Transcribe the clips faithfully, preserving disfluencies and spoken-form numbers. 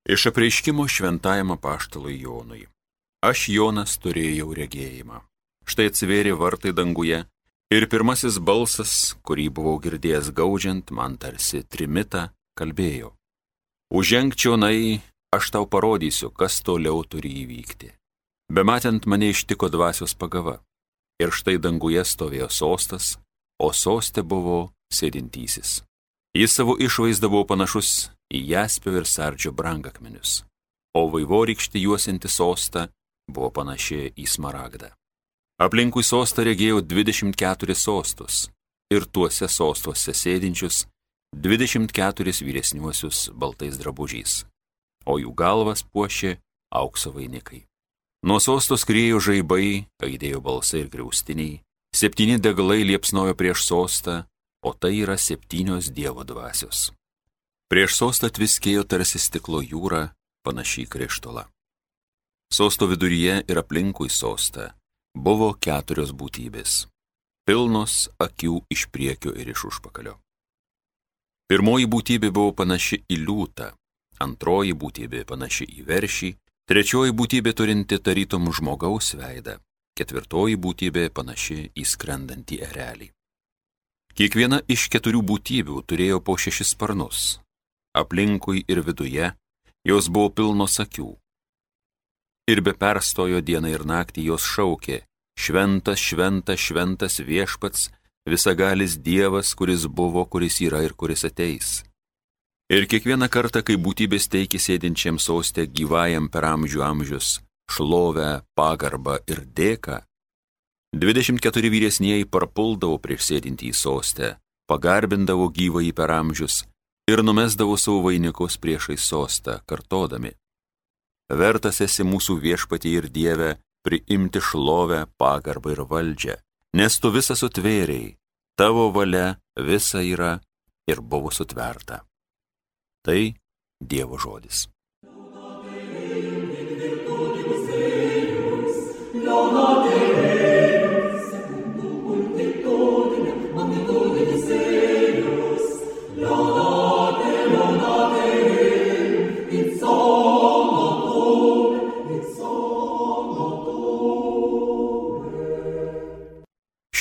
Iš apreiškimo šventajam apaštalui Jonui. Aš, Jonas, turėjau regėjimą. Štai atsivėrė vartai danguje ir pirmasis balsas, kurį buvau girdėjęs gaudžiant, man tarsi trimitą, kalbėjo. Užženk čionai, aš tau parodysiu, kas toliau turi įvykti. Bematant mane ištiko dvasios pagava. Ir štai danguje stovėjo sostas, o soste buvo sėdintysis. Jis savo išvaizdą buvo panašus į jaspio ir sardžio brangakmenius, o vaivorykštė juosinti sostą buvo panaši į smaragdą. Aplinkui sostą regėjau dvidešimt keturis sostus ir tuose sostuose sėdinčius dvidešimt keturis vyresniuosius baltais drabužiais, o jų galvas puošė aukso vainikai. Nuo sosto skriejo žaibai, aidėjo balsai ir griaustiniai, septyni degalai liepsnojo prieš sostą, o tai yra septynios Dievo dvasios. Prieš sostą tviskėjo tarsi stiklo jūra, panašiai krištolą. Sosto viduryje ir aplinkui sostą buvo keturios būtybės, pilnos akių iš priekio ir iš užpakalio. Pirmoji būtybė buvo panaši į liūtą, antroji būtybė panaši į veršį, trečioji būtybė turinti tarytum žmogaus veidą, ketvirtoji būtybė panaši į skrendantį erelį. Kiekviena iš keturių būtybių turėjo po šešis sparnus. Aplinkui ir viduje jos buvo pilnos akių. Ir be perstojo dieną ir naktį jos šaukė: Šventas, šventas, šventas viešpats, visagalis Dievas, kuris buvo, kuris yra ir kuris ateis. Ir kiekvieną kartą, kai būtybės teikė sėdinčiam soste gyvajam per amžių amžius šlovę, pagarbą ir dėką, dvidešimt keturi vyresnieji parpuldavo prieš sėdintį į sostę, pagarbindavo gyvąjį per amžius ir numesdavo savo vainikus priešai sostą, kartodami: Vertas esi mūsų viešpatie ir Dieve priimti šlovę, pagarbą ir valdžią, nes tu visą sutvėrei, tavo valia visa yra ir buvo sutverta. Tai Dievo žodis.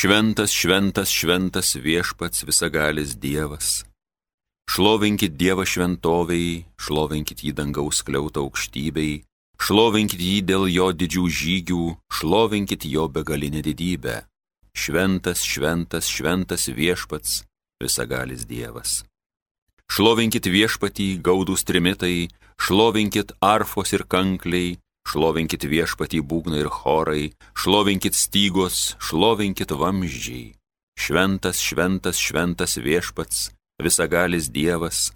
Šventas, šventas, šventas viešpats visagalis Dievas. Šlovinkit Dievą šventovei, šlovinkit jį dangaus skliautą aukštybei, šlovinkit jį dėl jo didžių žygių, šlovinkit jo begalinę didybę. Šventas, šventas, šventas viešpats visagalis Dievas. Šlovinkit viešpatį gaudūs trimitai, šlovinkit arfos ir kankliai, šlovinkit viešpatį būgnai ir chorai, šlovinkit stygos, šlovinkit vamzdžiai. Šventas, šventas, šventas viešpats, visagalis Dievas.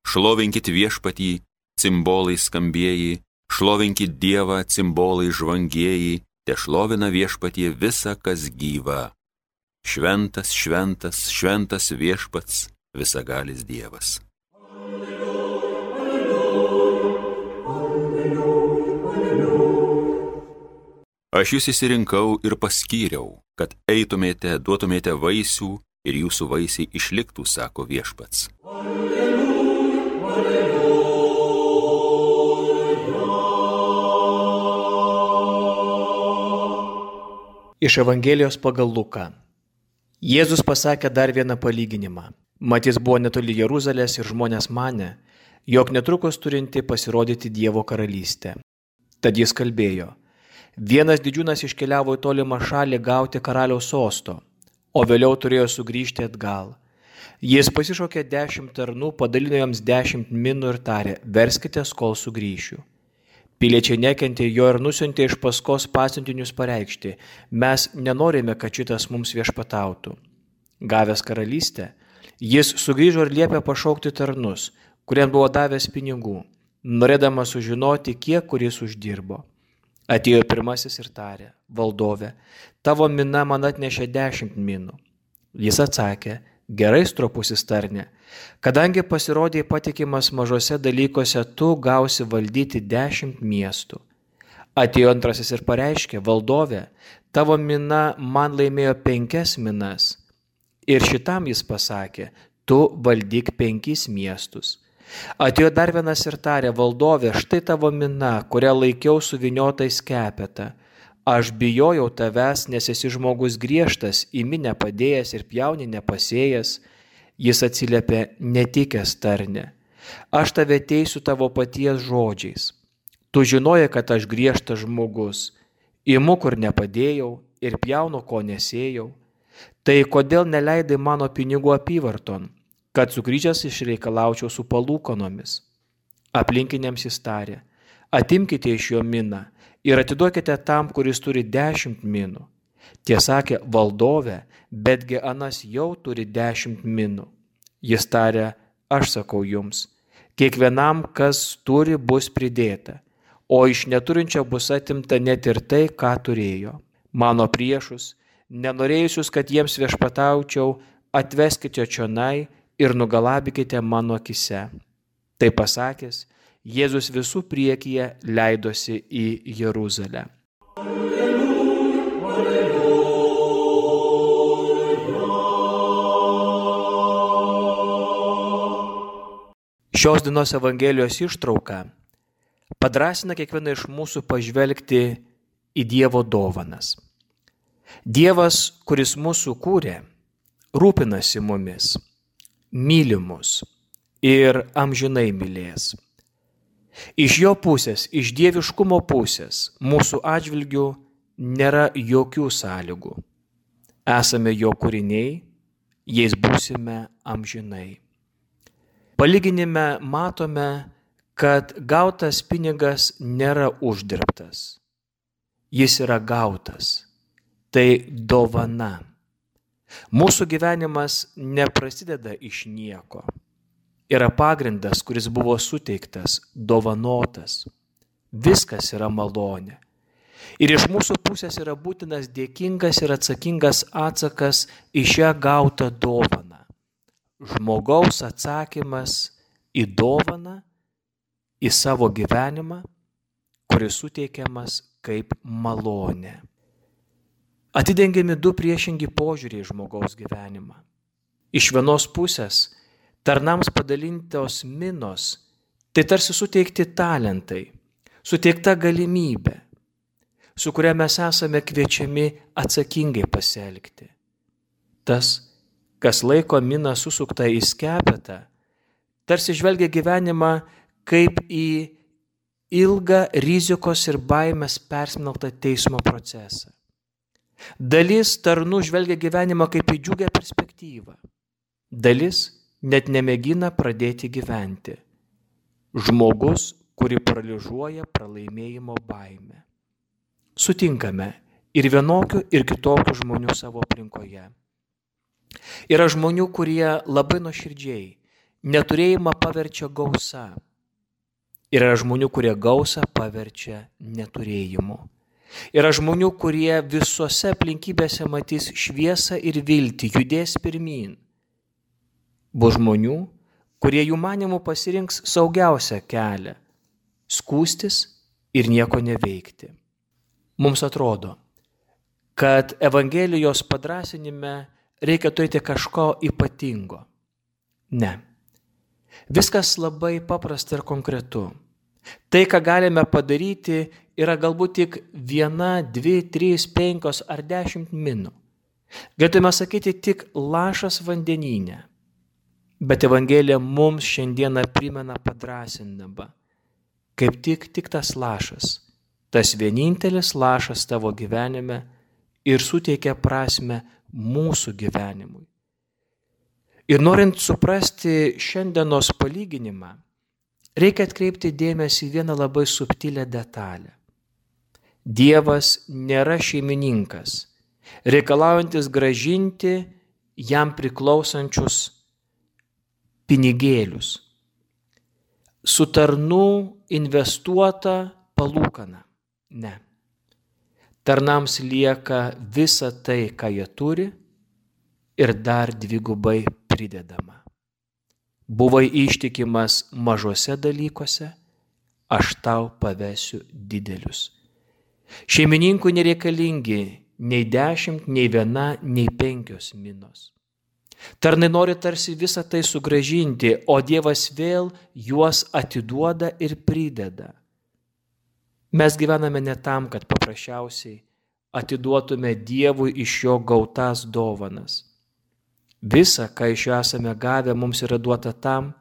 Šlovinkit viešpatį, cimbolai skambieji, šlovinkit Dievą, cimbolai žvangieji, te šlovina viešpatie visa, kas gyva. Šventas, šventas, šventas viešpats, visagalis Dievas. Aš jūs įsirinkau ir paskyriau, kad eitumėte, duotumėte vaisių ir jūsų vaisiai išliktų, sako viešpats. Alleluja, alleluja. Iš Evangelijos pagal Luką. Jėzus pasakė dar vieną palyginimą. Mat jis buvo netoli Jeruzalės ir žmonės manė, jog netrukus turinti pasirodyti Dievo karalystė. Tad jis kalbėjo: Vienas didžiūnas iškeliavo į tolimą šalį gauti karaliaus sosto, o vėliau turėjo sugrįžti atgal. Jis pasišaukė dešimt tarnų, padalino joms dešimt minų ir tarė: Verskitės, kol sugrįšiu. Piliečiai nekentė jo ir nusiuntė iš paskos pasiuntinius pareikšti: Mes nenorime, kad šitas mums viešpatautų. Gavęs karalystę, jis sugrįžo ir liepė pašaukti tarnus, kuriems buvo davęs pinigų, norėdamas sužinoti, kiek kuris uždirbo. Atėjo pirmasis ir tarė: Valdove, tavo mina man atnešė dešimt minų. Jis atsakė: Gerai, stropusis tarne, kadangi pasirodė patikimas mažose dalykuose, tu gausi valdyti dešimt miestų. Atėjo antrasis ir pareiškė: Valdove, tavo mina man laimėjo penkias minas. Ir šitam jis pasakė: Tu valdyk penkis miestus. Atėjo dar vienas ir tarė: valdove, štai tavo mina, kurią laikiau suvyniotais skepetą. Aš bijojau tavęs, nes esi žmogus griežtas, į minę padėjęs ir pjauni nepasėjęs. Jis atsiliepė: netikęs tarne. Aš tave teisiu tavo paties žodžiais. Tu žinojai, kad aš griežtas žmogus. Imu, kur nepadėjau, ir pjaunu, ko nesėjau. Tai kodėl neleidai mano pinigų apyvarton, kad sugrįžęs išreikalaučiau su palūkanomis? Aplinkiniams jis tarė: atimkite iš jo miną ir atiduokite tam, kuris turi dešimt minų. Tie sakė: valdove, betgi anas jau turi dešimt minų. Jis tarė: aš sakau jums, kiekvienam, kas turi, bus pridėta, o iš neturinčio bus atimta net ir tai, ką turėjo. Mano priešus, nenorėjusius, kad jiems viešpataučiau, atveskite čionai ir nugalabykite mano akise. Tai pasakęs, Jėzus visų priekyje leidosi į Jeruzalę. Šios dienos Evangelijos ištrauka padrąsina kiekvieną iš mūsų pažvelgti į Dievo dovanas. Dievas, kuris mūsų kūrė, rūpinasi mumis, myli mus ir amžinai mylės. Iš jo pusės, iš dieviškumo pusės, mūsų atžvilgių nėra jokių sąlygų. Esame jo kūriniai, jais būsime amžinai. Palyginime matome, kad gautas pinigas nėra uždirbtas. Jis yra gautas. Tai dovana. Mūsų gyvenimas neprasideda iš nieko. Yra pagrindas, kuris buvo suteiktas, dovanotas. Viskas yra malonė. Ir iš mūsų pusės yra būtinas dėkingas ir atsakingas atsakas į šią gautą dovaną. Žmogaus atsakymas į dovaną, į savo gyvenimą, kuris suteikiamas kaip malonė. Atidengiami du priešingi požiūriai žmogaus gyvenimą. Iš vienos pusės tarnams padalintos minos, tai tarsi suteikti talentai, suteikta galimybė, su kuria mes esame kviečiami atsakingai pasielgti. Tas, kas laiko miną susuktą į skepetą, tarsi žvelgia gyvenimą kaip į ilgą rizikos ir baimės persmelktą teismo procesą. Dalis tarnų žvelgia gyvenimą kaip į džiugią perspektyvą. Dalis net nemėgina pradėti gyventi. Žmogus, kurį paralyžiuoja pralaimėjimo baimė. Sutinkame ir vienokių, ir kitokių žmonių savo aplinkoje. Yra žmonių, kurie labai nuoširdžiai neturėjimą paverčia gausa. Yra žmonių, kurie gausą paverčia neturėjimu. Yra žmonių, kurie visose aplinkybėse matys šviesą ir viltį, judės pirmyn. Bus žmonių, kurie jų manimų pasirinks saugiausią kelią – skųstis ir nieko neveikti. Mums atrodo, kad Evangelijos padrąsinime reikia turėti kažko ypatingo. Ne. Viskas labai paprasta ir konkretu. Tai, ką galime padaryti, yra galbūt tik viena, dvi, trys, penkios ar dešimt minų. Galėtume sakyti tik lašas vandenyne. Bet Evangelija mums šiandieną primena padrąsindama, kaip tik, tik tas lašas, tas vienintelis lašas tavo gyvenime ir suteikia prasmę mūsų gyvenimui. Ir norint suprasti šiandienos palyginimą, reikia atkreipti dėmesį į vieną labai subtilę detalę. Dievas nėra šeimininkas, reikalaujantis grąžinti jam priklausančius pinigėlius. Su tarnų investuota palūkana. Ne. Tarnams lieka visa tai, ką jie turi, ir dar dvigubai pridedama. Buvai ištikimas mažose dalykuose, aš tau pavesiu didelius. Šeimininkui nereikalingi nei dešimt, nei viena, nei penkios minos. Tarnai nori tarsi visą tai sugrąžinti, o Dievas vėl juos atiduoda ir prideda. Mes gyvename ne tam, kad paprasčiausiai atiduotume Dievui iš jo gautas dovanas. Visa, ką iš jo esame gavę, mums yra duota tam,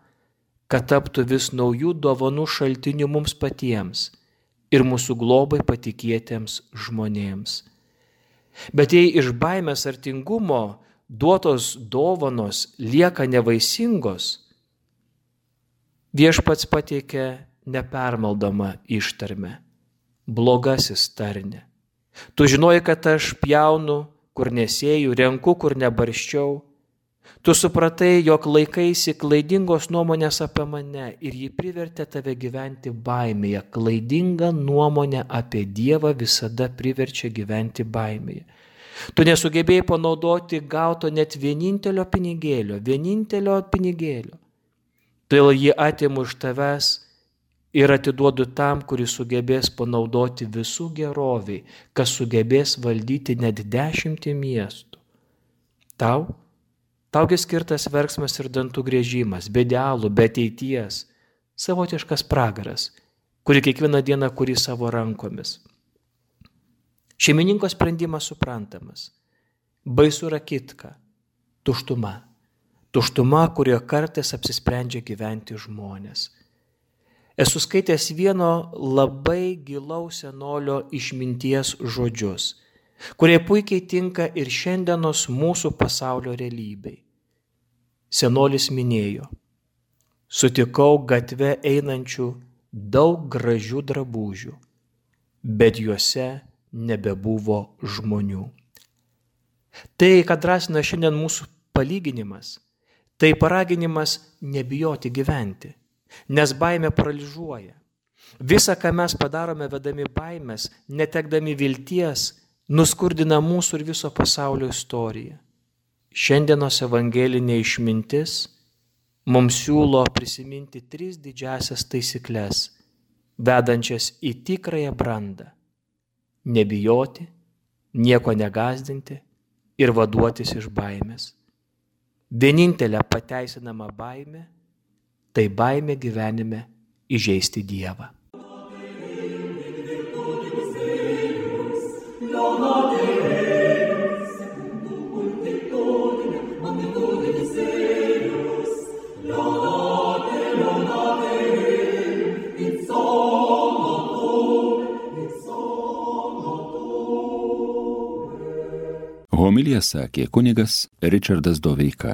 kad taptų vis naujų dovanų šaltinių mums patiems ir mūsų globai patikėtiems žmonėms. Bet jei iš baimės ar tingumo duotos dovanos lieka nevaisingos, Viešpats pateikia nepermaldomą ištarmę: blogasis tarne. Tu žinoji, kad aš pjaunu, kur nesėjau, renku, kur nebarščiau. Tu supratai, jog laikaisi klaidingos nuomonės apie mane ir ji privertė tave gyventi baimėje. Klaidinga nuomonė apie Dievą visada priverčia gyventi baimėje. Tu nesugebėjai panaudoti gauto net vienintelio pinigėlio, vienintelio pinigėlio. Todėl jį atimu iš tavęs ir atiduodu tam, kuris sugebės panaudoti visų geroviai, kas sugebės valdyti net dešimtį miestų. Tau? Taugi skirtas verksmas ir dantų griežimas, be idealų, be ateities, savotiškas pragaras, kuri kiekvieną dieną kuri savo rankomis. Šeimininko sprendimas suprantamas. Baisu yra kitka, tuštuma. Tuštuma, kurioje kartais apsisprendžia gyventi žmonės. Esu skaitęs vieno labai gilaus senolio išminties žodžius, kurie puikiai tinka ir šiandienos mūsų pasaulio realybei. Senolis minėjo: sutikau gatve einančių daug gražių drabužių, bet juose nebebuvo žmonių. Tai, kad drąsina šiandien mūsų palyginimas, tai paraginimas nebijoti gyventi, nes baimė paralyžiuoja. Visa, ką mes padarome vedami baimės, netekdami vilties, nuskurdina mūsų ir viso pasaulio istoriją. Šiandienos evangelinė išmintis mums siūlo prisiminti tris didžiasias taisyklės, vedančias į tikrąją brandą: nebijoti, nieko negąsdinti ir vaduotis iš baimės. Vienintelė pateisinama baimė – tai baimė gyvenime įžeisti Dievą. Homiliją sakė kunigas Ričardas Doveika.